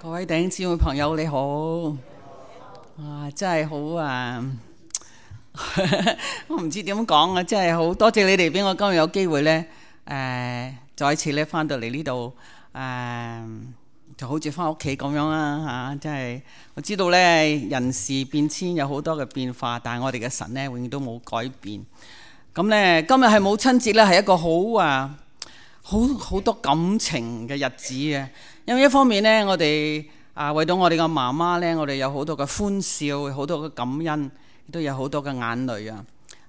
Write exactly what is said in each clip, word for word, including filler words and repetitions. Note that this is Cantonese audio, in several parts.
各位弟兄姊妹朋友你好，哇真係好啊！我唔知點講啊，真係好多謝你哋俾我今日有機會呢，誒、呃、再一次咧翻到嚟呢度，誒、呃、就好似翻屋企咁樣啦嚇，真係我知道呢，人事變遷有好多嘅變化，但係我哋嘅神呢，永遠都冇改變。咁呢，今日係母親節呢，係一個好啊好好多感情嘅日子嘅。因為一方面呢，我哋啊為到我哋嘅媽媽呢，我哋有好多嘅歡笑，好多嘅感恩，亦都有好多嘅眼淚啊！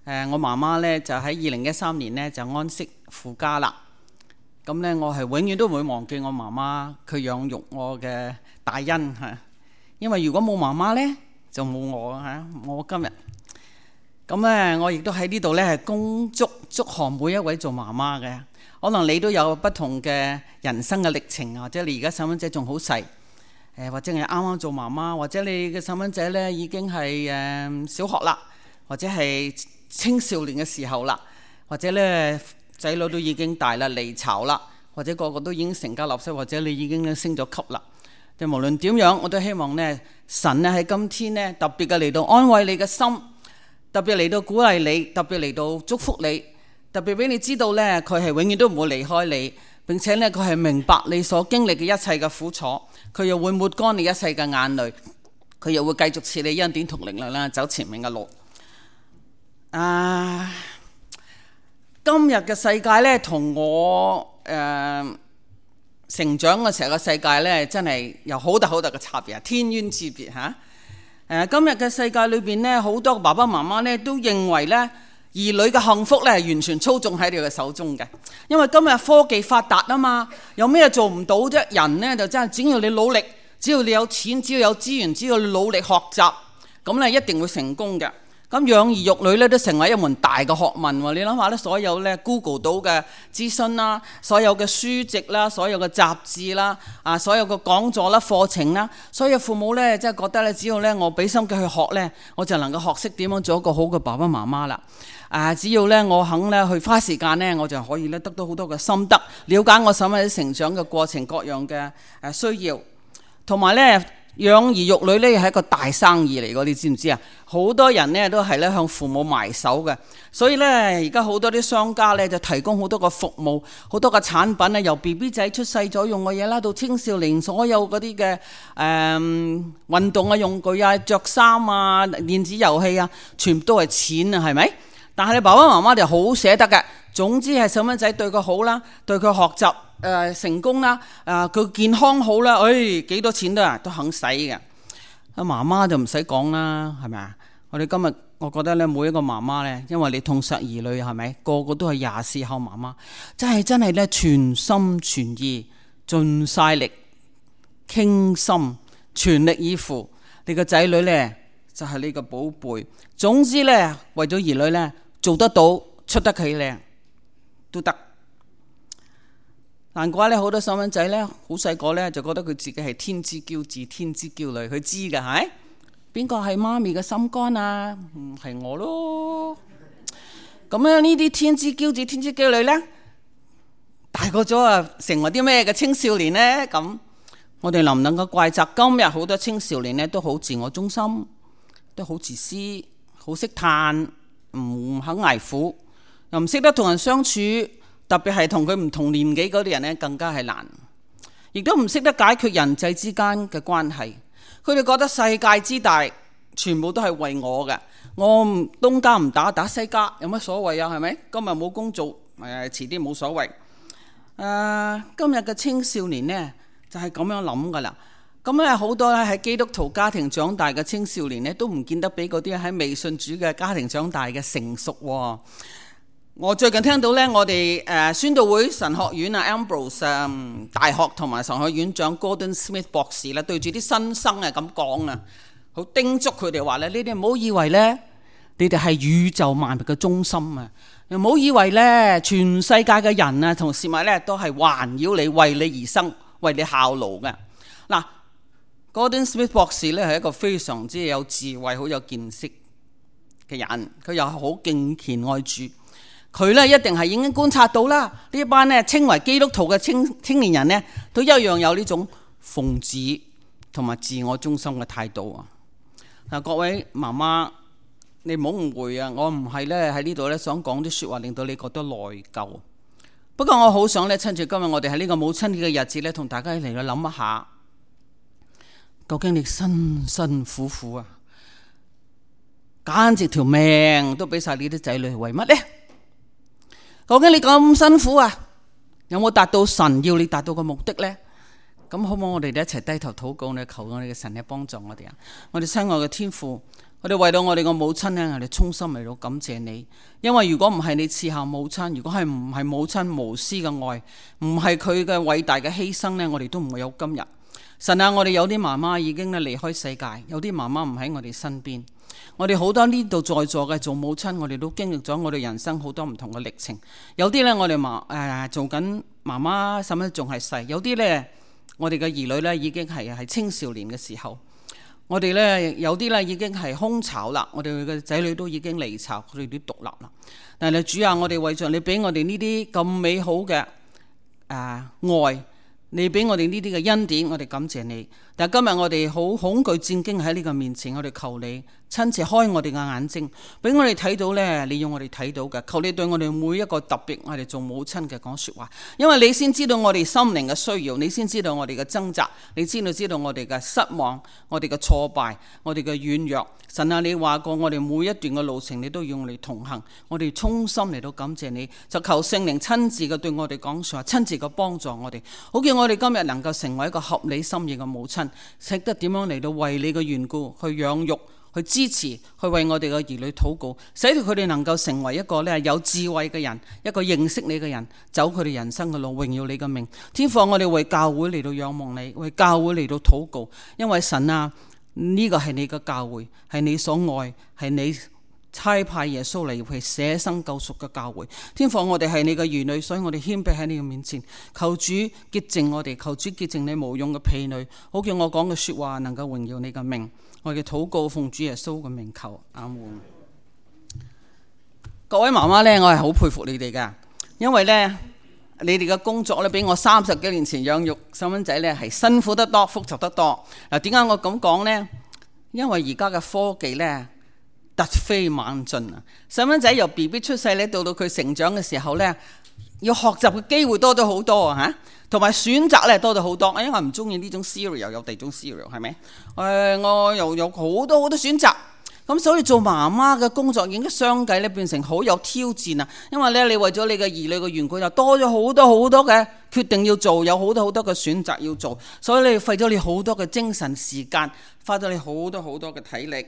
誒，我媽媽呢，就喺二零一三年呢，就安息父家啦。咁呢，我係永遠都唔會忘記我媽媽佢養育我嘅大恩嚇。因為如果冇媽媽呢，就冇我嚇，我今日。咁呢，我亦都喺呢度呢，係恭祝祝賀每一位做媽媽嘅。可能你都有不同嘅人生嘅歷程，或者你而家細蚊仔仲好細，誒或者係啱啱做媽媽，或者你嘅細蚊仔呢已經係誒小學啦，或者係青少年嘅時候啦，或者呢仔女都已經大啦，離巢啦，或者個個都已經成家立室，或者你已經咧升咗級啦。就無論點樣，我都希望呢神呢喺今天呢特別嘅嚟到安慰你嘅心，特別嚟到鼓勵你，特別嚟到祝福你。特別俾你知道呢，佢係永遠都唔會離開你，並且呢，佢係明白你所經歷嘅一切嘅苦楚，佢又會抹乾你一切嘅眼淚，佢又會繼續賜你恩典同力量啦，走前面嘅路。啊，今日嘅世界呢，同我誒、呃、成長嘅時候嘅世界呢，真係有好大好大嘅差別啊，天淵之別嚇。誒、啊，今日嘅世界裏邊呢，好多爸爸媽媽呢都認為呢，兒女嘅幸福咧係完全操縱喺你嘅手中嘅，因為今日科技發達啊嘛，有咩做唔到啫？人呢就真係只要你努力，只要你有錢，只要有資源，只要你努力學習，咁咧一定會成功嘅。咁養兒育女咧都成為一門大嘅學問喎。你諗下咧，所有咧 Google 到嘅資訊啦，所有嘅書籍啦，所有嘅雜誌啦，啊，所有嘅講座啦、課程啦，所有父母咧即係覺得咧，只要咧我俾心機去學咧，我就能夠學識點樣做一個好嘅爸爸媽媽啦。啊！只要咧我肯咧去花時間咧，我就可以咧得到好多嘅心得，了解我細蚊仔成長嘅過程，各樣嘅誒需要，同埋咧養兒育女咧係一個大生意嚟嘅，你知唔知啊？好多人咧都係咧向父母埋手嘅，所以咧而家好多啲商家咧就提供好多個服務，好多個產品咧，由 B B 仔出世咗用嘅嘢啦，到青少年所有嗰啲嘅誒運動嘅用具啊、着衫啊、電子遊戲啊，全部都係錢啊，係咪？但係你爸爸媽媽就好捨得嘅，總之係細蚊仔對佢好啦，對佢學習誒、呃、成功啦，誒佢健康好啦，誒幾多錢都啊都肯使嘅。阿媽媽就唔使講啦，係咪啊？我哋今日我覺得咧，每一個媽媽咧，因為你痛錫兒女係咪？個個都係廿四孝媽媽，真係真係咧全心全意、盡晒力、傾心、全力以赴。你個仔女咧就係你個寶貝。總之咧，為咗兒女咧。做得到出得企靚都得，難怪咧好多細蚊仔咧好細個咧就覺得佢自己係天之驕子、天之驕女，佢知㗎係邊個係媽咪嘅心肝啊？嗯，係我咯。咁咧呢啲天之驕子、天之驕女咧，大個咗啊，成為啲咩嘅青少年咧？咁我哋能唔能夠怪責今日好多青少年咧都好自我中心，都好自私，好識嘆。唔肯捱苦，又唔識得同人相處，特別係同佢唔同年紀嗰啲人呢，更加係難。亦都唔識得解決人際之間嘅關係。佢哋覺得世界之大，全部都係為我嘅。我東家唔打打西家，有乜所謂啊？係咪？今日冇工做，誒遲啲冇所謂。誒、呃，今日嘅青少年呢，就係、是、咁樣諗噶啦。咁咧好多咧喺基督徒家庭長大嘅青少年咧，都唔見得比嗰啲喺未信主嘅家庭長大嘅成熟喎。我最近聽到咧，我哋誒宣道會神學院啊 Ambrose 大學同埋神學院長 Gordon Smith 博士啦，對住啲新生啊咁講啊，好叮囑佢哋話咧：你哋唔好以為咧，你哋係宇宙萬物嘅中心啊！又唔好以為咧，全世界嘅人啊同事物咧都係環繞你，為你而生，為你效勞嘅。嗱。Gordon Smith 博士咧係一個非常之有智慧、好有見識嘅人，佢又好敬虔愛主。佢咧一定係已經觀察到啦，呢一班咧稱為基督徒嘅青青年人咧，都一樣有呢種奉旨同埋自我中心嘅態度啊！嗱，各位媽媽，你唔好誤會啊！我唔係咧喺呢度咧想講啲説話令到你覺得內疚。不過我好想咧趁住今日我哋喺呢個母親節嘅日子咧，同大家嚟去諗一下，究竟你辛辛苦苦啊，簡直條命都俾晒你啲仔女，為乜呢？究竟你咁辛苦啊，有冇達到神要你達到嘅目的呢？咁好唔好我哋一齊低頭禱告呢？求我哋嘅神嚟幫助我哋啊！我哋親愛嘅天父，我哋為到我哋個母親呢，我哋衷心嚟到感謝你。因為如果唔係你賜下母親，如果係唔係母親無私嘅愛，唔係佢嘅偉大嘅犧牲呢，我哋都唔會有今日。神啊，我哋有啲媽媽已經咧離開世界，有啲媽媽唔喺我哋身邊。我哋好多呢度在座嘅做母親，我哋都經歷咗我哋人生好多唔同嘅歷程。有啲呢，我哋媽誒做緊媽媽，甚至仲係細；有啲呢，我哋嘅兒女呢已經係係青少年嘅時候。我哋呢，有啲呢已經係空巢啦，我哋嘅仔女都已經離巢，佢哋都獨立啦。但係主啊，我哋為著你俾我哋呢啲咁美好嘅誒、呃、愛，你俾我哋呢啲嘅恩典，我哋感謝你。但係今日我哋好恐懼戰驚喺呢個面前，我哋求你親自開我哋嘅眼睛，俾我哋睇到呢，你要我哋睇到嘅。求你對我哋每一個特別我哋做母親嘅講說話，因為你先知道我哋心靈嘅需要，你先知道我哋嘅掙扎，你先知道我哋嘅失望，我哋嘅挫敗，我哋嘅軟弱。神啊，你話過我哋每一段嘅路程你都要我哋同行，我哋衷心嚟到感謝你，就求聖靈親自嘅對我哋講說話，親自嘅幫助我哋，好叫我哋今日能夠成為一個合你心意嘅母親，識得點樣嚟到為你嘅緣故去養育，去支持，去為我哋嘅兒女禱告，使到佢哋能夠成為一個咧有智慧嘅人，一個認識你嘅人，走佢哋人生嘅路，榮耀你嘅名。天父，我哋為教會嚟到仰望你，為教會嚟到禱告，因為神啊，呢個係你嘅教會，係你所愛，係你差派耶穌嚟為捨生救贖嘅教會。天父，我哋係你嘅兒女，所以我哋謙卑喺你嘅面前，求主潔淨我哋，求主潔淨你無用嘅婢女，好叫我講嘅說話能夠榮耀你嘅名。我嘅禱告奉主耶穌嘅名求，阿門。各位媽媽呢，我係好佩服你哋噶，因為呢，你哋嘅工作咧比我三十幾年前養育細蚊仔呢係辛苦得多，複雜得多。嗱，點解我咁講呢？因為而家嘅科技呢，突飛猛進啊！細蚊仔由 B B 出世咧，到到佢成長嘅時候呢，要學習嘅機會多咗好多啊！嚇，同埋選擇咧多咗好多。因為我唔中意呢種 cereal，有第二種 cereal 係咪？誒、呃，我又有好多好多選擇。咁所以做媽媽嘅工作已經相繼咧變成好有挑戰啊！因為咧你為咗你嘅兒女嘅緣故，就多咗好多好多嘅決定要做，有好多好多嘅選擇要做，所以你費咗你好多嘅精神時間，花咗你好多好多嘅體力。誒、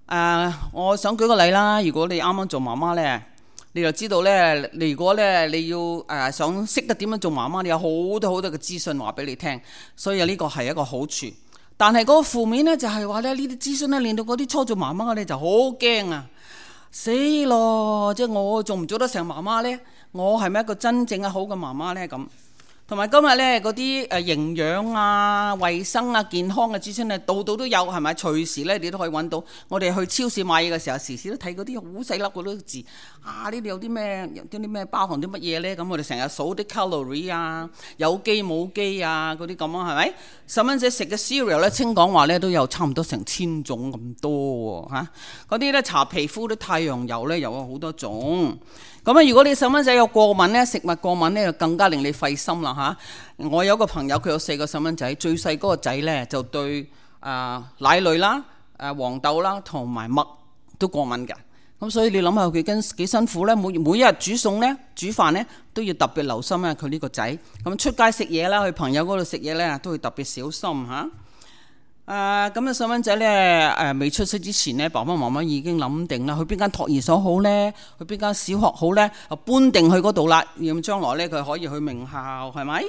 呃，我想舉個例啦，如果你啱啱做媽媽呢，你就知道呢，你如果呢你要誒、呃、想識得點樣做媽媽，你有好多好多嘅資訊話俾你聽，所以呢個係一個好處。但係嗰個負面呢，就係話咧呢啲資訊呢，令到嗰啲初做媽媽嘅咧就好驚啊！死咯！即係我做唔做得成媽媽呢？我係咪一個真正嘅好嘅媽媽呢？咁同埋今日呢嗰啲誒營養啊、衞生啊、健康嘅資訊呢，度度都有，係咪？隨時呢你都可以揾到。我哋去超市買嘢嘅時候，時時都睇嗰啲好細粒嗰啲字啊！呢度有啲咩？有啲咩包含啲乜嘢呢？咁我哋成日數啲 calorie 啊，有機冇機啊嗰啲咁啊，係咪？細蚊仔食嘅 cereal 咧，聽講話咧都有差唔多成千種咁多喎嚇。嗰啲咧搽皮膚啲太陽油咧又有好多種。咁啊，如果你細蚊仔有過敏咧，食物過敏咧就更加令你費心啦嚇。我有個朋友，佢有四個細蚊仔，最細嗰個仔咧就對啊、呃、奶類啦、誒、呃、黃豆啦同埋麥都過敏嘅。咁所以你諗下佢跟幾辛苦咧？每每一日煮餸咧、煮飯咧都要特別留心啊！佢呢個仔咁出街食嘢啦，去朋友嗰度食嘢咧都會特別小心嚇。誒咁啊，細蚊仔咧誒未出世之前咧，爸爸媽媽已經諗定啦，去邊間托兒所好咧，去邊間小學好咧，就搬定去嗰度啦。咁將來咧佢可以去名校，係咪？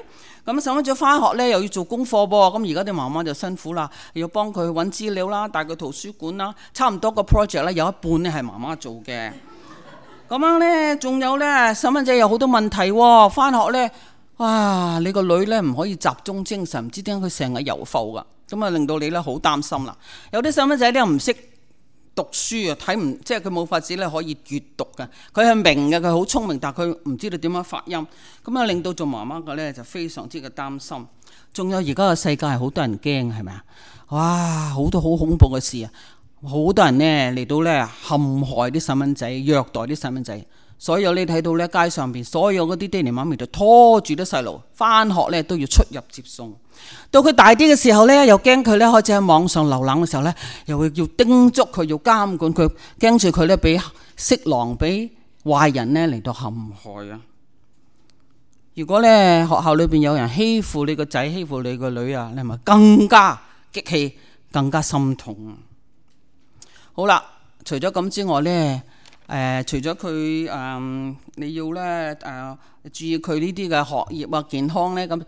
咁細蚊仔翻學咧又要做功課噃，咁而家啲媽媽就辛苦啦，要幫佢揾資料啦，帶佢圖書館啦，差唔多個 project 咧有一半咧係媽媽做嘅。咁樣咧，仲有咧細蚊仔有好多問題喎，翻學咧，哇！你個女咧唔可以集中精神，唔知點解佢成日遊浮噶。咁啊，令到你咧好擔心啦。有啲細蚊仔咧唔識讀書啊，睇唔即係佢冇法子咧可以閲讀嘅。佢係明嘅，佢好聰明，但係佢唔知道點樣發音。咁啊，令到做媽媽嘅咧就非常之嘅擔心。仲有而家嘅世界係好多人驚，係咪啊？哇，好多好恐怖嘅事啊！好多人呢嚟到呢陷害啲細蚊仔，虐待啲細蚊仔。所以你睇到呢街上邊所有嗰啲爹哋媽咪就拖住啲細路返學呢都要出入接送。到佢大啲嘅時候呢，又驚佢呢開始喺網上瀏覽嘅時候呢，又會要叮囑佢，要監管佢，驚住佢呢俾色狼俾壞人呢嚟到陷害啊！如果呢學校裏邊有人欺負你個仔，欺負你個女啊，你係咪更加激氣，更加心痛？好啦，除咗咁之外呢，誒、呃，除咗佢誒，你要咧誒、呃、注意佢呢啲嘅學業啊、健康咧，咁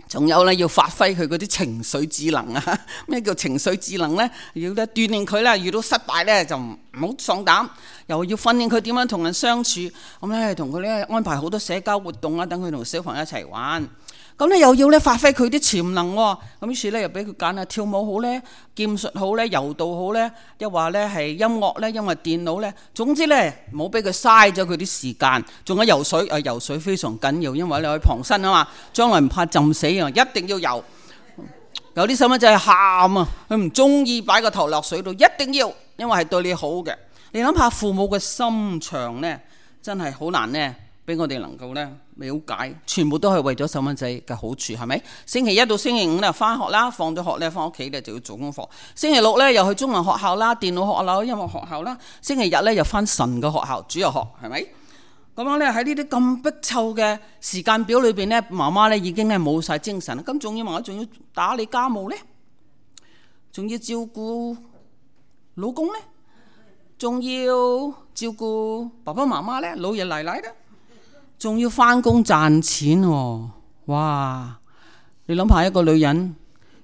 仲有咧要發揮佢嗰啲情緒智能啊。咩叫情緒智能咧？要咧鍛鍊佢啦，遇到失敗咧就唔好喪膽，又要訓練佢點樣同人相處。咁咧同佢咧安排好多社交活動啊，等佢同小朋友一齊玩。咁咧又要咧發揮佢啲潛能喎，咁於是咧又俾佢揀啊，跳舞好咧，劍術好咧，柔道好咧，又話咧係音樂咧，因為電腦咧，總之咧唔好俾佢嘥咗佢啲時間。仲有游水啊，游水非常緊要，因為你可以傍身啊嘛，將來唔怕浸死啊，一定要游。有啲細蚊仔係喊啊，佢唔中意擺個頭落水度，一定要，因為係對你好嘅。你諗下父母嘅心腸咧，真係好難咧，俾我哋能夠咧了解，全部都係為咗細蚊仔嘅好處，係咪？星期一到星期五咧翻學啦，放咗學咧翻屋企咧就要做功課。星期六咧又去中文學校啦、電腦學校啦、音樂學校啦。星期日咧又翻神嘅學校，主日學，係咪？咁樣咧喺呢啲咁逼湊嘅時間表裏邊咧，媽媽咧已經咧冇晒精神。咁仲要媽媽仲要打理家務咧，仲要照顧老公咧，仲要照顧爸爸媽媽咧、老爺奶奶咧。仲要返工賺錢喎，哇！你諗下一個女人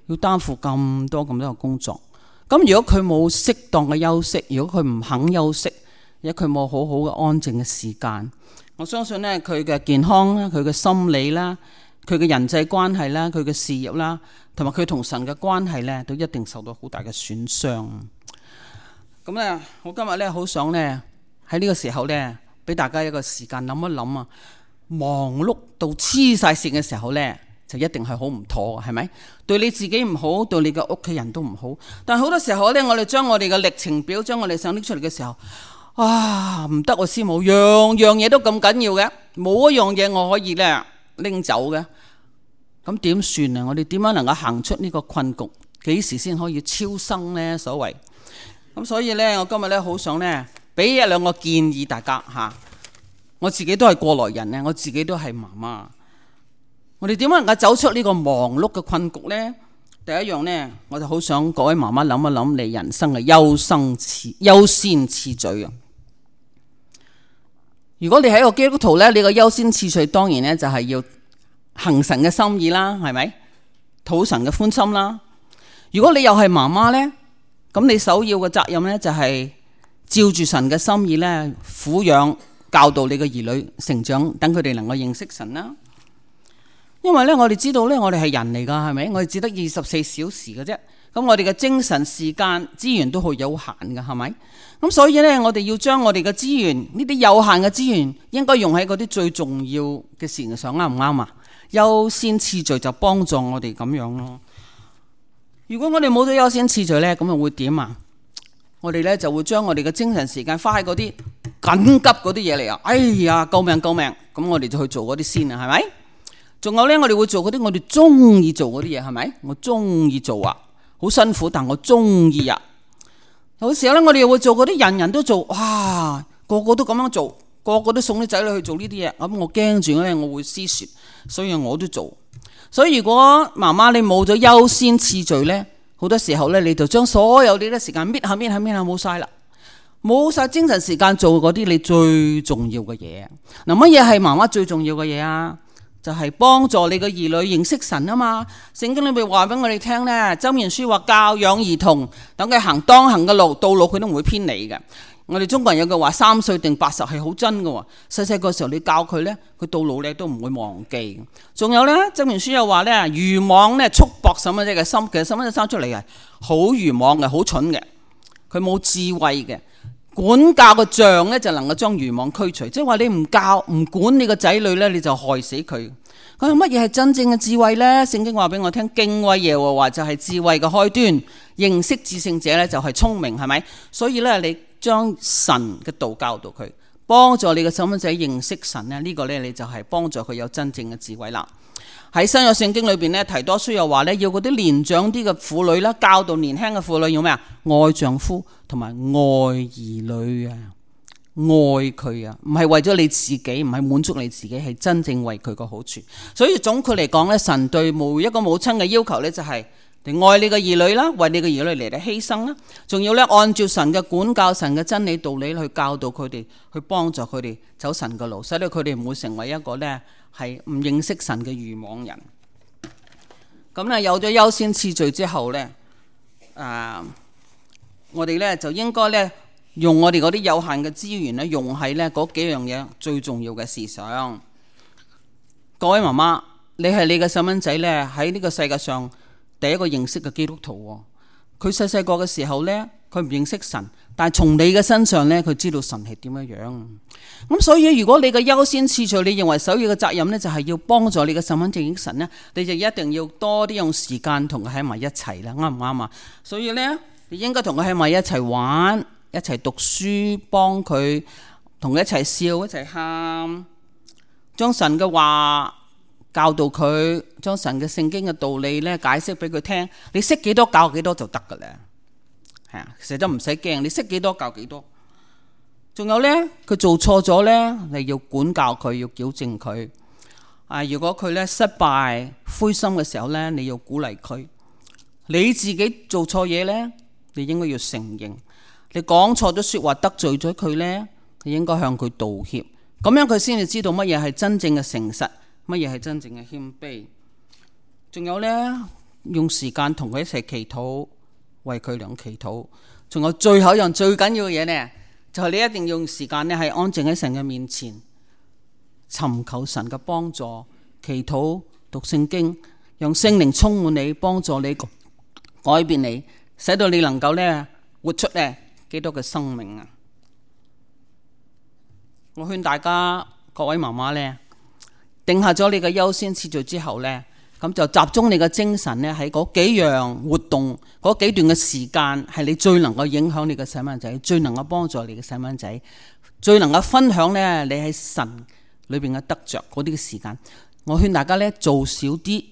要擔負咁多咁多嘅工作，咁如果佢冇適當嘅休息，如果佢唔肯休息，如果佢冇好好嘅安靜嘅時間，我相信呢，佢嘅健康啦、佢嘅心理啦、佢嘅人際關係啦、佢嘅事業啦，同埋佢同神嘅關係呢，都一定受到好大嘅損傷。咁呢，我今日呢，好想呢，喺呢個時候呢，俾大家一個時間諗一諗啊！忙碌到黐晒線嘅時候呢，就一定係好唔妥嘅，係咪？對你自己唔好，對你嘅屋企人都唔好。但係好多時候呢，我哋將我哋嘅歷程表，將我哋想拎出嚟嘅時候，啊唔得，我師母樣樣嘢都咁緊要嘅，冇一樣嘢我可以呢拎走嘅。咁點算啊？我哋點樣能夠行出呢個困局？幾時先可以超生呢？所謂咁，所以呢，我今日呢，好想呢。俾一兩個建議大家嚇，我自己都係過來人咧，我自己都係媽媽。我哋點樣能夠走出呢個忙碌嘅困局呢？第一樣呢，我就好想各位媽媽諗一諗你人生嘅優生次優先次序啊！如果你係一個基督徒呢，你個優先次序當然呢就係要行神嘅心意啦，係咪？討神嘅歡心啦。如果你又係媽媽呢，咁你首要嘅責任呢就係照住神嘅心意咧，撫養教導你嘅兒女成長，等佢哋能夠認識神啦。因為咧，我哋知道咧，我哋係人嚟噶，係咪？我哋只得二十四小時嘅啫。咁我哋嘅精神時間資源都好有限噶，係咪？咁所以咧，我哋要將我哋嘅資源，呢啲有限嘅資源，應該用喺嗰啲最重要嘅事情上，啱唔啱啊？優先次序就幫助我哋咁樣咯。如果我哋冇咗優先次序咧，咁又會點啊？我哋咧就會將我哋嘅精神時間花喺嗰啲緊急嗰啲嘢嚟啊！哎呀，救命救命！咁我哋就去做嗰啲先啊，係咪？仲有咧，我哋會做嗰啲我哋中意做嗰啲嘢，係咪？我中意做啊，好辛苦，但我中意啊。有時候咧，我哋又會做嗰啲人人都做，哇，個個都咁樣做，個個都送啲仔女去做呢啲嘢。咁我驚住咧，我會失傳，所以我都做。所以如果媽媽你冇咗優先次序咧，好多時候咧，你就將所有呢啲時間搣下搣下搣下冇晒啦，冇晒精神時間做嗰啲你最重要嘅嘢。嗱，乜嘢係媽媽最重要嘅嘢啊？就係、是、幫助你嘅兒女認識神啊嘛。聖經裏邊話俾我哋聽咧，箴言書話教養兒童，等佢行當行嘅路，到老佢都唔會偏離嘅。我哋中國人有句話，三歲定八十係好真嘅。細細個時候你教佢咧，佢到老咧都唔會忘記。仲有咧，箴言書又話咧，愚妄咧束縛細蚊仔嘅心。其實細蚊仔生出嚟係好愚妄嘅，好蠢嘅，佢冇智慧嘅。管教嘅杖咧就能夠將愚妄驅除，即係話你唔教唔管你個仔女咧，你就害死佢。佢話乜嘢係真正嘅智慧咧？聖經話俾我聽，敬畏耶和華就係智慧嘅開端，認識至聖者咧就係聰明，係咪？所以咧，你將神嘅道教導佢，幫助你嘅細蚊仔認識神咧，呢個咧你就係幫助佢有真正嘅智慧啦。喺新約聖經裏邊咧，提多書又話咧，要嗰啲年長啲嘅婦女啦，教導年輕嘅婦女要咩啊？愛丈夫同埋愛兒女啊，愛佢啊，唔係為咗你自己，唔係滿足你自己，係真正為佢個好處。所以總括嚟講咧，神對每一個母親嘅要求咧，就係你愛你嘅兒女啦，為你嘅兒女嚟嚟犧牲啦，仲要咧按照神嘅管教、神嘅真理道理去教導佢哋，去幫助佢哋走神嘅路，使到佢哋唔會成為一個咧係唔認識神嘅愚妄人。咁咧有咗優先次序之後咧，啊，我哋咧就應該咧用我哋嗰啲有限嘅資源咧，用喺咧嗰幾樣嘢最重要嘅事上。各位媽媽，你係你嘅細蚊仔咧喺呢個世界上第一個認識嘅基督徒。佢細細個嘅時候咧，佢唔認識神，但係從你嘅身上咧，佢知道神係點樣樣。咁所以如果你嘅優先次序，你認為首要嘅責任咧，就係要幫助你嘅細蚊仔認識神咧，你就一定要多啲用時間同佢喺埋一齊啦，啱唔啱啊？所以咧，你應該同佢喺埋一齊玩，一齊讀書，幫佢同佢一齊笑，一齊喊，將神嘅話教導佢，將神嘅聖經嘅道理咧解釋俾佢聽。你識幾多教幾多就得噶啦，係啊，其實都唔使驚，你識幾多教幾多。仲有咧，佢做錯咗咧，你要管教佢，要矯正佢。啊，如果佢咧失敗、灰心嘅時候咧，你要鼓勵佢。你自己做錯嘢咧，你應該要承認。你講錯咗說話得罪咗佢咧，你應該向佢道歉。咁樣佢先至知道乜嘢係真正嘅誠實，乜嘢係真正嘅謙卑。仲有咧，用時間同佢一齊祈禱，為佢倆祈禱。仲有最後一樣最緊要嘅嘢呢，就係你一定要用時間咧，係安靜喺神嘅面前，尋求神嘅幫助，祈禱、讀聖經，讓聖靈充滿你，幫助你改變你，使到你能夠咧活出咧基督嘅生命啊！我勸大家各位媽媽咧，定下咗你嘅優先次序之後咧，咁就集中你嘅精神咧喺嗰幾樣活動，嗰幾段嘅時間係你最能夠影響你嘅細蚊仔，最能夠幫助你嘅細蚊仔，最能夠分享咧你喺神裏邊嘅得着嗰啲嘅時間。我勸大家咧做少啲，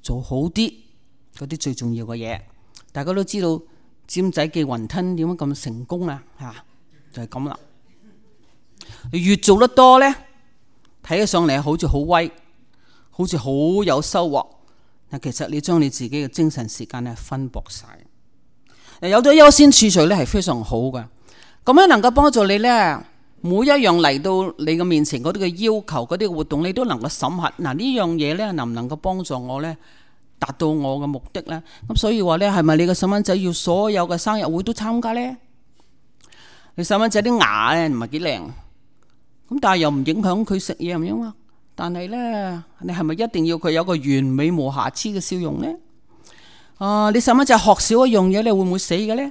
做好啲嗰啲最重要嘅嘢。大家都知道尖仔記雲吞點樣咁成功啊？吓，就係咁啦。你越做得多咧，睇起上嚟好似好威，好似好有收穫，但其實你將你自己嘅精神時間咧分薄晒。有咗優先次序咧係非常好嘅，咁樣能夠幫助你咧，每一樣嚟到你嘅面前嗰啲嘅要求、嗰啲嘅活動，你都能夠審核。嗱，呢樣嘢咧能唔能夠幫助我咧達到我嘅目的咧？咁所以話咧，係咪你嘅細蚊仔要所有嘅生日會都參加咧？你細蚊仔啲牙咧唔係幾靚，咁但係又唔影響佢食嘢，唔樣啊？但係咧，你係咪一定要佢有個完美無瑕疵嘅笑容咧？啊，你細蚊仔學少一樣嘢，你會唔會死嘅咧？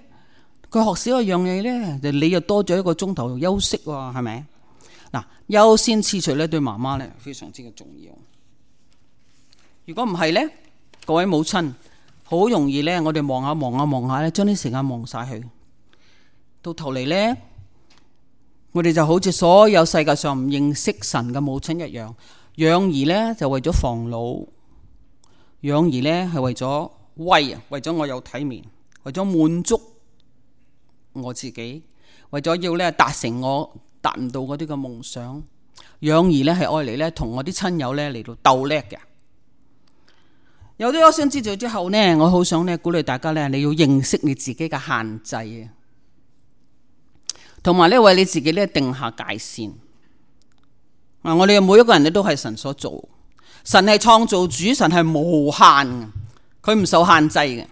佢學少一樣嘢咧，就你又多咗一個鐘頭休息喎，係咪？嗱，優先次序咧對媽媽咧非常之嘅重要。如果唔係咧，各位母親好容易咧，我哋望下望下望下咧，將啲時間望晒去，到頭嚟咧，我哋就好似所有世界上唔認識神嘅母親一樣，養兒咧就為咗防老，養兒咧係為咗威啊，為咗我有體面，為咗滿足我自己，為咗要咧達成我達唔到嗰啲嘅夢想。養兒咧係愛嚟咧同我啲親友咧嚟到鬥叻嘅。有啲優先次序之後呢，我好想咧鼓勵大家咧，你要認識你自己嘅限制啊，同埋咧為你自己咧定下界線。啊，我哋每一個人咧都係神所做，神係創造主，神係無限嘅，佢唔受限制嘅。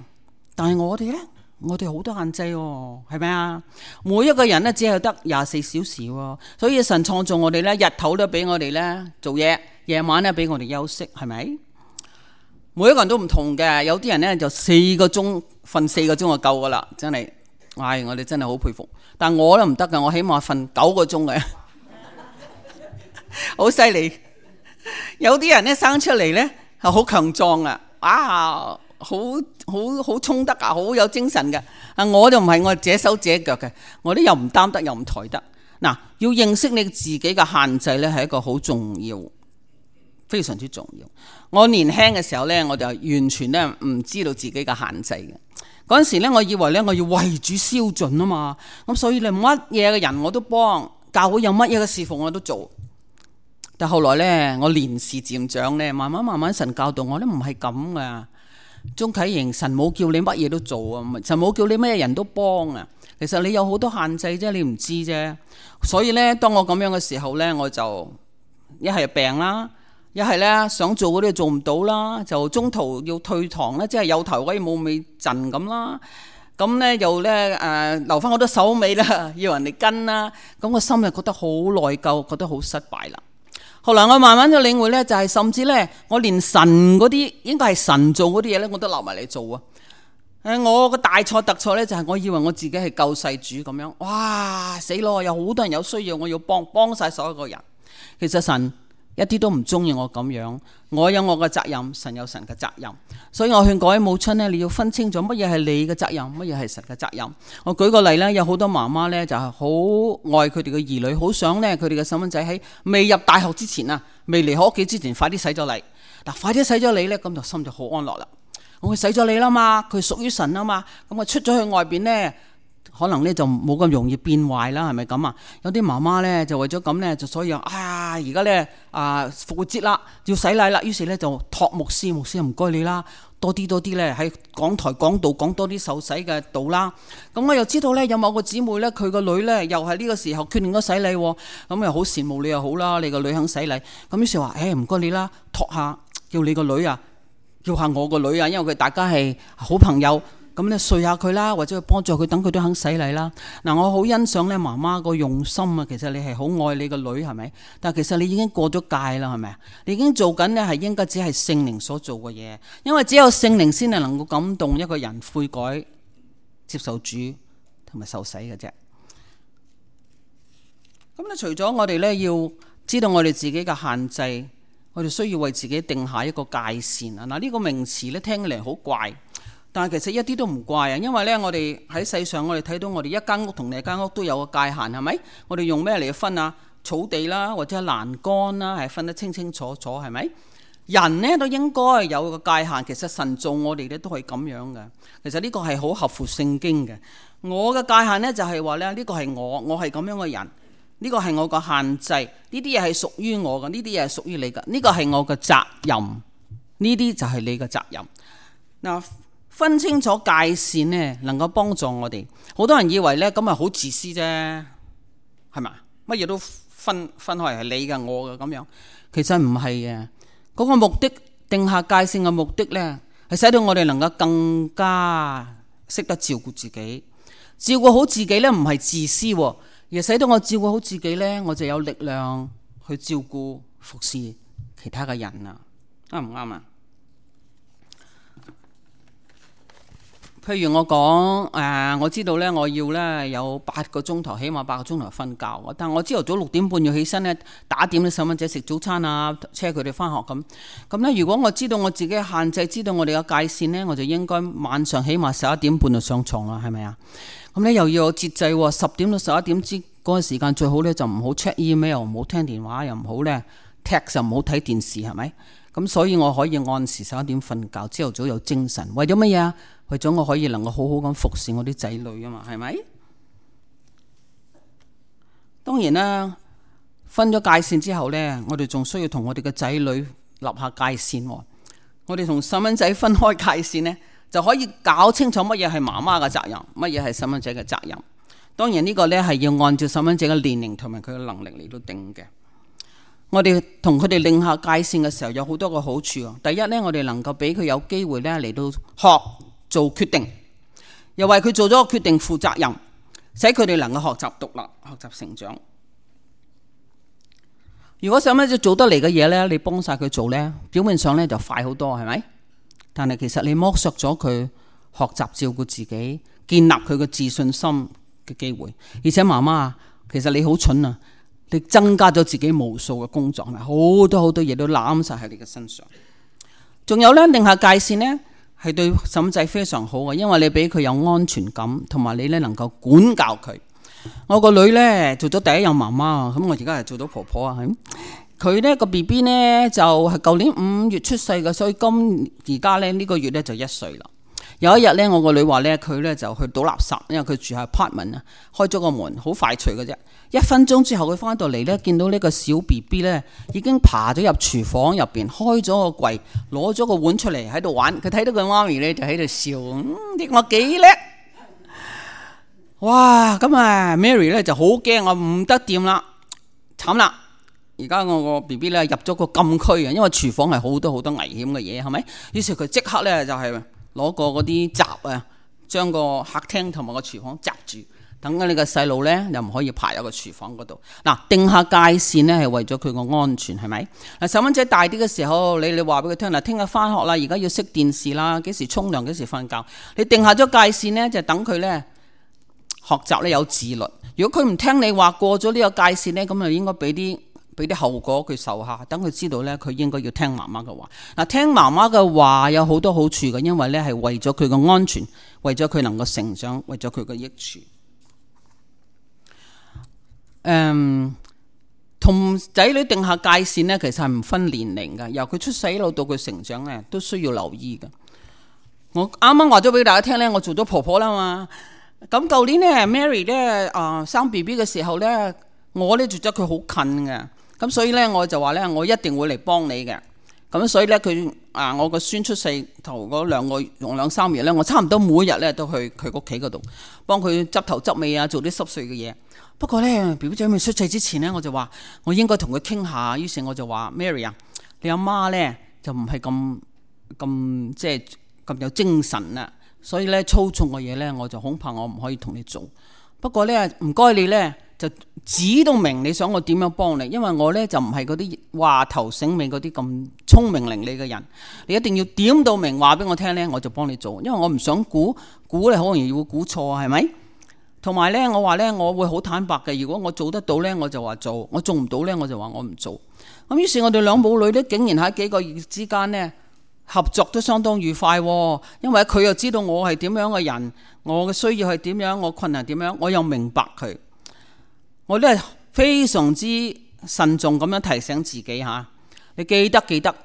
但係我哋咧，我哋好多限制喎，係咪啊？每一個人咧只係得廿四小時喎，所以神創造我哋咧，日頭都俾我哋咧做嘢，夜晚咧俾我哋休息，係咪？每一個人都唔同嘅，有啲人咧就四個鐘瞓四個鐘就夠噶啦，真係唉，我哋真係好佩服。但我都唔得㗎，我起碼瞓九個鐘嘅，好犀利。有啲人咧生出嚟咧係好強壯啊，啊，好好好衝得啊，好有精神嘅。啊，我就唔係，我係隻手隻腳嘅，我啲又唔擔得又唔抬得。嗱，要認識你自己嘅限制咧，係一個好重要，非常之重要。我年輕嘅時候咧，我就完全咧唔知道自己嘅限制嘅。嗰陣時咧，我以為咧我要為主燒盡啊嘛，咁所以咧乜嘢嘅人我都幫，教會有乜嘢嘅侍奉我都做。但後來咧，我年事漸長咧，慢慢慢慢神教導我咧，唔係咁噶。鍾啟瑩，神冇叫你乜嘢都做啊，神冇叫你咩人都幫啊。其實你有好多限制啫，你唔知啫。所以咧，當我咁樣嘅時候咧，我就一係病啦。一係咧想做嗰啲做唔到啦，就中途要退堂啦，即係有頭威冇尾陣咁啦。咁咧又咧誒留翻好多手尾啦，要人哋跟啦。咁我心就覺得好內疚，覺得好失敗啦。後來我慢慢就領會咧，就係甚至咧，我連神嗰啲應該係神做嗰啲嘢咧，我都留埋嚟做啊。誒，我個大錯特錯咧，就係我以為我自己係救世主咁樣。哇，死咯！有好多人有需要，我要幫幫晒所有個人。其實神一啲都唔中意我咁樣，我有我嘅責任，神有神嘅責任，所以我勸各位母親呢，你要分清楚乜嘢係你嘅責任，乜嘢係神嘅責任。我舉個例啦，有好多媽媽呢就係好愛佢哋嘅兒女，好想呢佢哋嘅細蚊仔喺未入大學之前啊，未離開屋企之前，快啲洗咗禮。嗱，快啲洗咗禮呢，咁就心就好安樂啦。我洗咗禮啦嘛，佢屬於神啊嘛，咁我出咗去外邊呢，可能咧就冇咁容易變壞啦，係咪咁啊？有啲媽媽咧就為咗咁咧，就所以啊，而家咧啊復活節啦，要洗禮啦，於是咧就託牧師，牧師唔該你啦，多啲多啲咧喺講台講道講多啲受洗嘅道啦。咁我又知道咧有某個姊妹咧，佢個女咧又係呢個時候決定咗洗禮，咁又好羨慕你又好啦，你個女肯洗禮。咁於是話誒唔該你啦，託下叫你個女啊，叫下我個女啊，因為佢大家係好朋友。咁咧睡下佢啦，或者去幫助佢，等佢都肯洗禮啦。嗱，我好欣賞咧媽媽個用心啊。其實你係好愛你個女，係咪？但係其實你已經過咗界啦，係咪？你已經做緊咧係應該只係聖靈所做嘅嘢，因為只有聖靈先係能夠感動一個人悔改、接受主同埋受洗嘅啫。咁咧，除咗我哋咧要知道我哋自己嘅限制，我哋需要為自己定下一個界線啊。嗱，呢個名詞咧聽起嚟好怪。但係其實一啲都唔怪啊，因為咧我哋喺世上，我哋睇到我哋一間屋同另一間屋都有個界限，係咪？我哋用咩嚟分啊？草地啦，或者欄杆啦，係分得清清楚楚，係咪？人呢都應該有個界限。其實神造我哋咧都係咁樣嘅。其實呢個係好合乎聖經嘅。我嘅界限呢，就係話咧，呢個係我，我係咁樣嘅人，呢個係我個限制，呢啲嘢係屬於我嘅，呢啲嘢係屬於你嘅，呢個係我嘅責任，呢啲就係你嘅責任。嗱，分清楚界線呢，能夠幫助我哋。好多人以為呢，咁咪好自私啫，係咪？乜嘢都分分開係你嘅我嘅咁樣，其實唔係嘅。嗰個目的定下界線嘅目的呢，係使到我哋能夠更加識得照顧自己。照顧好自己呢，唔係自私，而係使到我照顧好自己呢，我就有力量去照顧服侍其他嘅人啦。啱唔啱啊？譬如我講誒、呃，我知道咧，我要咧有八個鐘頭，起碼八個鐘頭瞓覺。但係我朝頭早六點半要起身咧，打點啲細蚊仔食早餐啊，車佢哋翻學咁。咁咧，如果我知道我自己嘅限制，知道我哋嘅界線咧，我就應該晚上起碼十一點半就上床啦，係咪啊？咁咧又要有節制喎，十點到十一點之嗰個時間最好咧就唔好 check email，唔好聽電話，又唔好咧 text， 又唔好睇電視，係咪？咁所以我可以按時十一點瞓覺，朝頭早有精神。為咗乜嘢啊？為咗我可以能夠好好咁服侍我啲仔女啊嘛，係咪？當然啦，分咗界線之後呢，我哋仲需要同我哋嘅仔女立下界線。我哋同細蚊仔分開界線呢，就可以搞清楚乜嘢係媽媽嘅責任，乜嘢係細蚊仔嘅責任。當然呢個呢係要按照細蚊仔嘅年齡同埋佢嘅能力嚟到定嘅。我哋同佢哋定下界線嘅時候，有好多個好處。第一呢，我哋能夠俾佢有機會呢嚟到學做決定，又為佢做咗個決定負責任，使佢哋能夠學習獨立、學習成長。如果細蚊仔做得嚟嘅嘢呢，你幫晒佢做呢，表面上呢就快好多，係咪？但係其實你剝削咗佢學習照顧自己，建立佢嘅自信心嘅機會。而且媽媽，其實你好蠢啊！你增加咗自己無數嘅工作，好多好多嘢都攬晒喺你嘅身上。仲有呢，定下界線呢，係對細蚊仔非常好嘅，因為你俾佢有安全感，同埋你呢能夠管教佢。我個女呢，做咗第一任媽媽，咁我而家係做到婆婆啊。佢呢個 B B 呢，就係舊年五月出世嘅，所以今而家呢，呢個月呢，就一歲啦。有一日呢，我個女話呢，佢呢就去倒垃圾，因為佢住喺 apartment 啊，開咗個門，好快脆嘅啫。一分鐘之後佢翻到嚟呢，見到呢個小 B B 呢已經爬咗入廚房入邊，開咗個櫃，攞咗個碗出嚟喺度玩。佢睇到佢媽咪呢，就喺度笑，嗯，啲我幾叻。哇！咁啊 Mary 呢就好驚，我唔得掂啦，慘啦！而家我個 B B 呢入咗個禁區啊，因為廚房係好多好多危險嘅嘢，係咪？於是佢即刻呢就係攞個嗰啲閘啊，將個客廳同埋個廚房閘住，等緊你個細路呢又唔可以爬入個廚房嗰度。嗱，定下界線呢係為咗佢個安全，係咪？嗱，細蚊仔大啲嘅時候，你你話俾佢聽，嗱，聽日翻學啦，而家要熄電視啦，幾時沖涼，幾時瞓覺，你定下咗界線呢，就等佢呢學習呢有自律。如果佢唔聽你話，過咗呢個界線呢，咁就應該俾啲俾啲後果佢受下，等佢知道呢，佢應該要聽媽媽嘅話。嗱，聽媽媽嘅話有好多好處嘅，因為呢係為咗佢嘅安全，為咗佢能夠成長，為咗佢嘅益處。嗯，同仔女定下界線呢，其實係唔分年齡嘅，由佢出世一路到佢成長呢，都需要留意嘅。我啱啱話咗俾大家聽呢，我做咗婆婆啦嘛。咁舊年呢 Mary 呢啊、呃、生 B B 嘅時候呢，我呢住咗佢好近嘅。咁所以咧，我就話咧，我一定會嚟幫你嘅。咁所以咧，佢啊，我個孫出世頭嗰兩個用兩三月咧，我差唔多每日咧都去佢屋企嗰度幫佢執頭執尾啊，做啲濕碎嘅嘢。不過咧 B B 仔未出世之前咧，我就話我應該同佢傾下。於是我就話 Mary 啊，你阿媽咧就唔係咁咁即係咁有精神啦，所以咧粗重嘅嘢咧，我就恐怕我唔可以同你做。不過咧，唔該你咧。就指到明你想我點樣幫你，因為我呢就唔係嗰啲話頭醒尾嗰啲咁聰明伶俐嘅人，你一定要點到明話俾我聽呢，我就幫你做，因為我唔想估估你好容易會估錯啊，係咪？同埋呢，我話呢，我會好坦白嘅，如果我做得到呢，我就話做；我做唔到呢，我就話我唔做。咁於是，我哋兩母女呢，竟然喺幾個月之間呢，合作都相當愉快，因為佢又知道我係點樣嘅人，我嘅需要係點樣，我困難點樣，我又明白佢。我都係非常之慎重咁樣提醒自己吓，你記得記得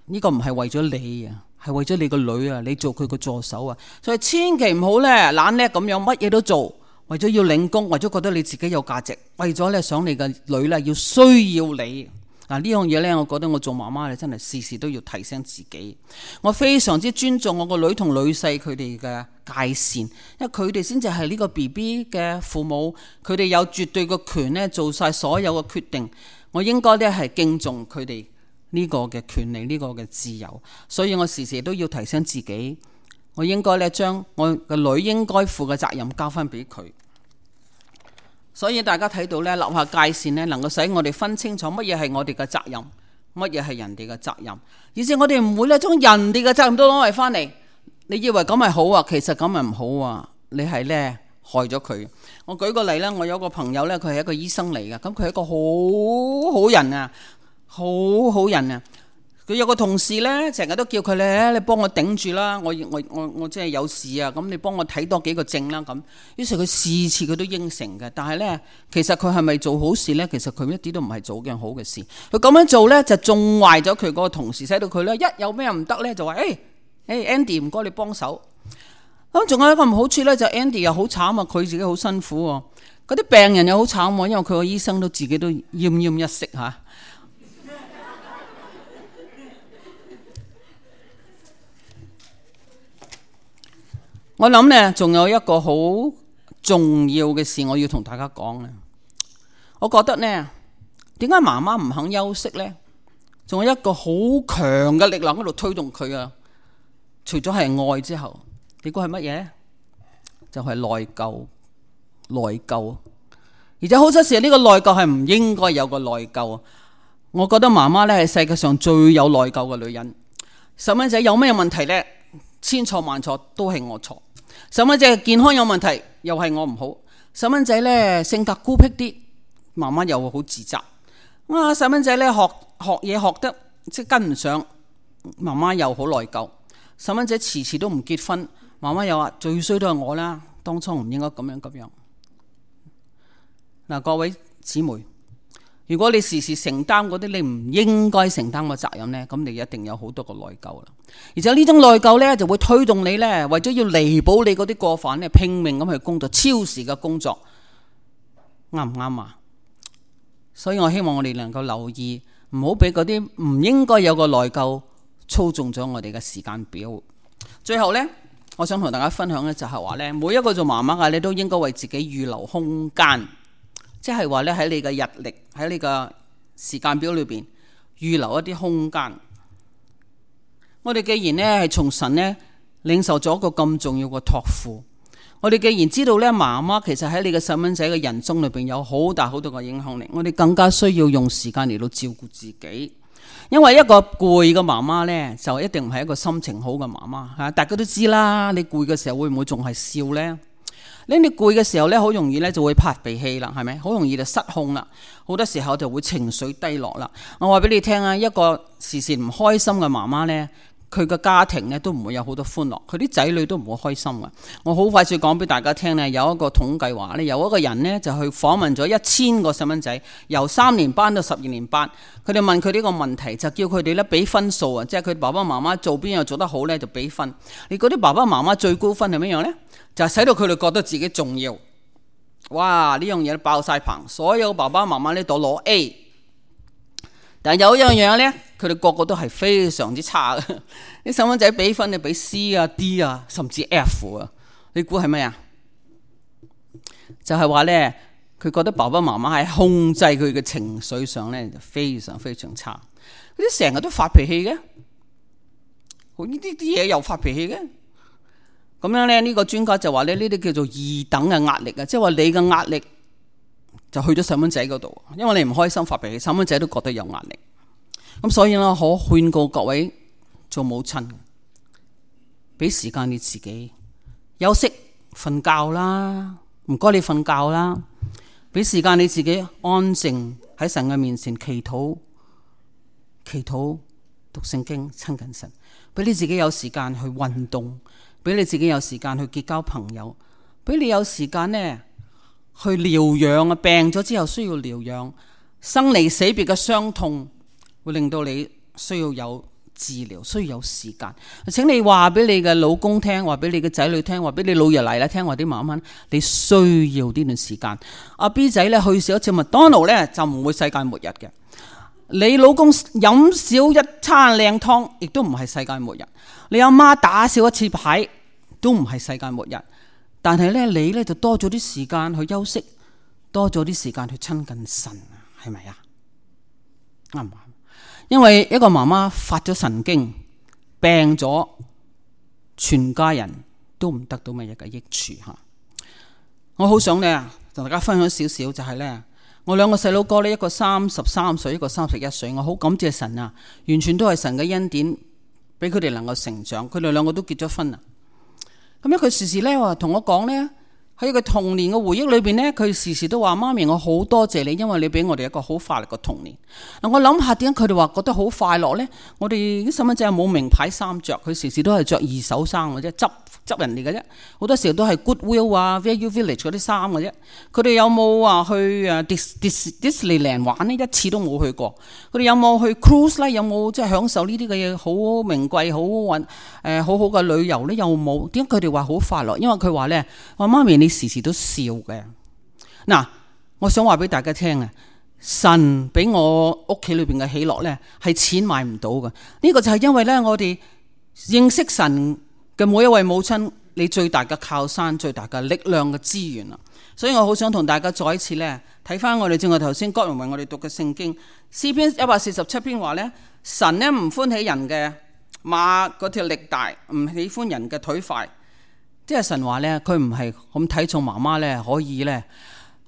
呢個唔係為咗你啊，係為咗你個女啊，你做佢個助手啊，所以千祈唔好咧懶叻咁樣乜嘢都做，為咗要領功，為咗覺得你自己有價值，為咗咧想你個女咧要需要你。嗱，呢樣嘢咧，我覺得我做媽媽咧真係事事都要提醒自己。我非常之尊重我個女同女婿佢哋嘅界線，因為佢哋先至係呢個 B B 嘅父母，佢哋有絕對嘅權咧做晒所有嘅決定。我應該咧係敬重佢哋呢個嘅權利，呢個嘅自由。所以我時時都要提醒自己，我應該咧將我個女應該負嘅責任交翻俾佢。所以大家睇到咧，立下界線咧，能夠使我哋分清楚乜嘢係我哋嘅責任，乜嘢係人哋嘅責任，而且我哋唔會咧將人哋嘅責任都攞嚟翻嚟。你以為咁係好啊？其實咁係唔好啊！你係咧害咗佢。我舉個例咧，我有個朋友咧，佢係一個醫生嚟嘅，咁佢係一個好好人啊，好好人啊。佢有個同事咧，成日都叫佢咧，你幫我頂住啦，我我我我即係有事啊，咁你幫我睇多幾個症啦咁。於是佢次次佢都應承嘅，但係咧，其實佢係咪做好事咧？其實佢一啲都唔係做件好嘅事。佢咁樣做咧，就縱壞咗佢嗰個同事，使到佢咧一有咩唔得咧，就話誒誒 Andy 唔該你幫手。咁仲有一個唔好處咧，就 Andy 又好慘啊，佢自己好辛苦喎。嗰啲病人又好慘喎，因為佢個醫生都自己都奄奄一息嚇。我諗呢，仲有一個好重要嘅事我要同大家講呢。我覺得呢，點解媽媽唔肯休息呢？仲有一個好強嘅力量喺度推動佢啊！除咗係愛之後，你估係乜嘢？就係內疚，內疚。而且好多時呢個內疚係唔應該有個內疚。我覺得媽媽呢係世界上最有內疚嘅女人。細蚊仔有咩問題呢？千錯萬錯都係我錯。細蚊仔健康有問題，又係我唔好。細蚊仔咧性格孤僻啲，媽媽又會好自責。啊，細蚊仔咧學學嘢學得即係跟唔上，媽媽又好內疚。細蚊仔遲遲都唔結婚，媽媽又話最衰都係我啦，當初唔應該咁樣咁樣。嗱，各位姊妹，如果你時時承擔嗰啲你唔應該承擔嘅責任呢，咁你一定有好多個內疚啦。而且呢種內疚呢，就會推動你呢，為咗要彌補你嗰啲過犯呢，拼命咁去工作，超時嘅工作，啱唔啱啊？所以我希望我哋能夠留意，唔好俾嗰啲唔應該有個內疚操縱咗我哋嘅時間表。最後呢，我想同大家分享嘅就係話呢，每一個做媽媽嘅你都應該為自己預留空間。即係話咧，喺你嘅日曆，喺你嘅時間表裏邊預留一啲空間。我哋既然咧係從神咧領受咗一個咁重要嘅託付，我哋既然知道咧媽媽其實喺你嘅細蚊仔嘅人生裏邊有好大好多嘅影響力，我哋更加需要用時間嚟到照顧自己。因為一個攰嘅媽媽咧，就一定唔係一個心情好嘅媽媽吓。大家都知啦，你攰嘅時候會唔會仲係笑呢？你你攰嘅時候咧，好容易咧就會發脾氣啦，係咪？好容易就失控啦，好多時候就會情緒低落啦。我話俾你聽啊，一個時時唔開心嘅媽媽咧，佢嘅家庭咧都唔會有好多歡樂，佢啲仔女都唔會開心嘅。我好快脆講俾大家聽咧，有一個統計話咧，有一個人咧就去訪問咗一千個細蚊仔，由三年班到十二年班，佢哋問佢呢個問題，就叫佢哋咧俾分數啊，即係佢爸爸媽媽做邊樣做得好咧就俾分。你嗰啲爸爸媽媽最高分係咩樣咧？就係使到佢哋覺得自己重要。哇！呢樣嘢爆晒棚，所有爸爸媽媽呢度攞 A， 但係有一樣嘢呢，佢哋個個都係非常之差嘅。啲細蚊仔俾分你俾 C 啊 D 啊，甚至 F 啊，你估係咩啊？就係話呢，佢覺得爸爸媽媽喺控制佢嘅情緒上呢，就非常非常差。佢啲成日都發脾氣嘅，好呢啲啲嘢又發脾氣嘅。咁樣咧，呢個專家就話咧，呢啲叫做二等嘅壓力啊，即係話你嘅壓力就去咗細蚊仔嗰度，因為你唔開心發脾氣，細蚊仔都覺得有壓力。咁所以咧，可勸告各位做母親，俾時間你自己休息瞓覺啦，唔該你瞓覺啦，俾時間你自己安靜喺神嘅面前祈禱、祈禱、讀聖經、親近神，俾你自己有時間去運動。俾你自己有時間去結交朋友，俾你有時間呢去療養啊！病咗之後需要療養，生離死別嘅傷痛會令到你需要有治療，需要有時間。請你話俾你嘅老公聽，話俾你嘅仔女聽，話俾你老爺奶奶聽，話啲媽媽，你需要呢段時間。阿 B 仔咧去少一次麥當勞咧，就唔會世界末日嘅。你老公飲少一餐靚湯，亦都唔係世界末日。你阿媽打少一次牌，都唔係世界末日。但係咧，你咧就多咗啲時間去休息，多咗啲時間去親近神，係咪啊？啱唔啱？因為一個媽媽發咗神經，病咗，全家人都唔得到乜嘢嘅益處吓。我好想咧同大家分享少少，就係咧。我兩個細佬哥咧，一個三十三歲，一個三十一歲。我好感謝神啊，完全都係神嘅恩典，俾佢哋能夠成長。佢哋兩個都結咗婚啦。咁樣佢時時咧話同我講咧，喺佢童年嘅回憶裏邊咧，佢時時都話：媽咪，我好多謝你，因為你俾我哋一個好快樂嘅童年。嗱，我諗下點解佢哋話覺得好快樂咧？我哋啲細蚊仔冇名牌衫着，佢時時都係着二手衫嘅啫，執執人哋嘅啫。好多時候都係 Goodwill 啊、Value Village 嗰啲衫嘅啫。佢哋有冇話去誒 Dis Dis Disneyland 玩呢？一次都冇去過。佢哋有冇去 cruise 咧？有冇即係享受呢啲嘅嘢？好名貴、好運誒、好好嘅旅遊咧？有冇？點解佢哋話好快樂？因為佢話咧：話媽咪，你時時都笑嘅。嗱，我想話俾大家聽啊，神俾我屋企裏邊嘅喜樂咧，係錢買唔到嘅。呢個就係因為咧，我哋認識神嘅每一位母親，你最大嘅靠山、最大嘅力量嘅資源啦。所以我好想同大家再一次咧睇翻我哋正話頭先郭榮為我哋讀嘅聖經詩篇一百四十七篇話咧，神咧唔歡喜人嘅馬嗰條力大，唔喜歡人嘅腿快。即係神話咧，佢唔係咁睇重媽媽咧，可以咧，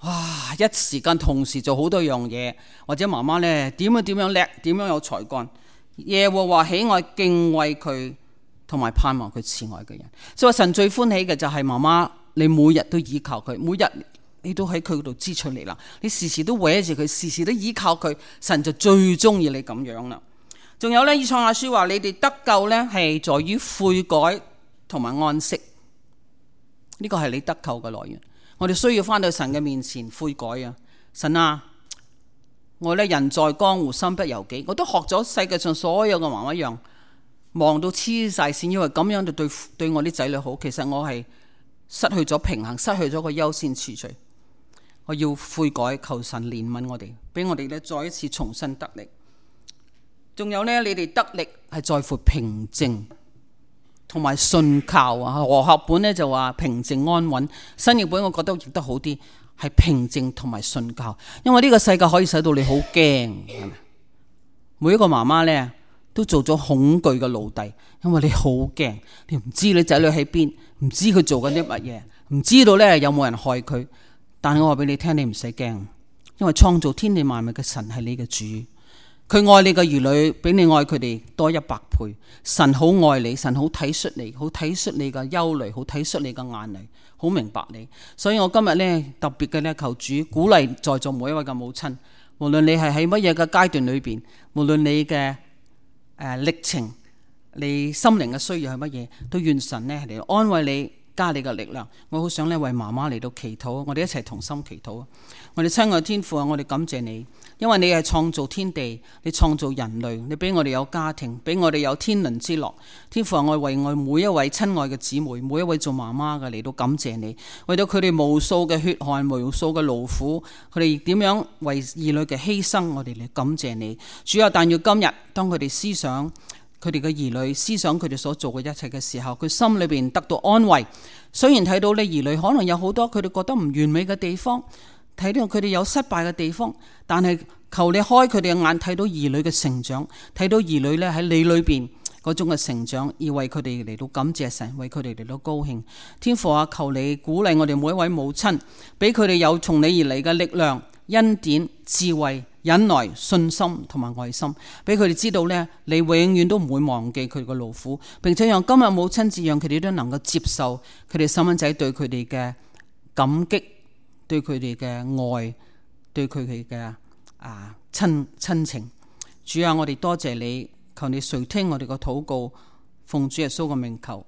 哇！一時間同時做好多樣嘢，或者媽媽咧點樣點樣叻，點樣有才幹。耶和華喜愛敬畏佢同埋盼望佢慈愛嘅人。所以神最歡喜嘅就係媽媽，你每日都依靠佢，每日你都喺佢度支取嚟啦，你時時都搲住佢，時時都依靠佢，神就最中意你咁樣啦。仲有呢，以賽亞書話你哋得救呢係在於悔改同埋安息，呢個係你得救嘅來源。我哋需要翻到神嘅面前悔改啊！神啊，我呢人在江湖身不由己，我都學咗世界上所有嘅媽媽一樣，忙到黐晒線，因為咁樣就對對我啲仔女好。其實我係失去咗平衡，失去咗個優先次序。我要悔改，求神憐憫我哋，俾我哋咧再一次重新得力。仲有呢，你哋得力係在乎平靜同埋信靠啊。和合本呢就話平靜安穩，新譯本我覺得譯得好啲，係平靜同埋信靠。因為呢個世界可以使到你好驚，每一個媽媽呢都做咗恐懼嘅奴隸，因為你好驚，你唔知你仔女喺邊，唔知佢做緊啲乜嘢，唔知道呢有冇人害佢。但係我話俾你聽，你唔使驚，因為創造天地萬物嘅神係你嘅主，佢愛你嘅兒女比你愛佢哋多一百倍。神好愛你，神好體恤你，好體恤你嘅憂慮，好體恤你嘅眼淚，好明白你。所以我今日呢，特別嘅呢，求主鼓勵在座每一位嘅母親，無論你係喺乜嘢嘅階段裏邊，無論你嘅誒歷程，你心靈嘅需要係乜嘢，都願神呢嚟安慰你，加你嘅力量。我好想咧為媽媽嚟到祈禱，我哋一齊同心祈禱。我哋親愛天父啊，我哋感謝你，因為你係創造天地，你創造人類，你俾我哋有家庭，俾我哋有天倫之樂。天父啊，我為我每一位親愛嘅姊妹，每一位做媽媽嘅嚟到感謝你，為到佢哋無數嘅血汗，無數嘅勞苦，佢哋點樣為兒女嘅犧牲，我哋嚟感謝你。主啊，但要今日當佢哋思想佢哋嘅兒女，思想佢哋所做嘅一切嘅時候，佢心裏邊得到安慰。雖然睇到你兒女可能有好多佢哋覺得唔完美嘅地方，睇到佢哋有失敗嘅地方，但係求你開佢哋嘅眼，睇到兒女嘅成長，睇到兒女咧喺你裏邊嗰種嘅成長，而為佢哋嚟到感謝神，為佢哋嚟到高興。天父啊，求你鼓勵我哋每一位母親，俾佢哋有從你而嚟嘅力量、恩典、智慧、忍耐、信心同埋愛心，俾佢哋知道呢，你永遠都唔會忘記佢哋嘅勞苦，並且讓今日母親節，讓佢哋都能夠接受佢哋細蚊仔對佢哋嘅感激，對佢哋嘅愛，對佢哋嘅啊親親情。主啊，我哋多謝你，求你垂聽我哋嘅禱告，奉主耶穌嘅名求，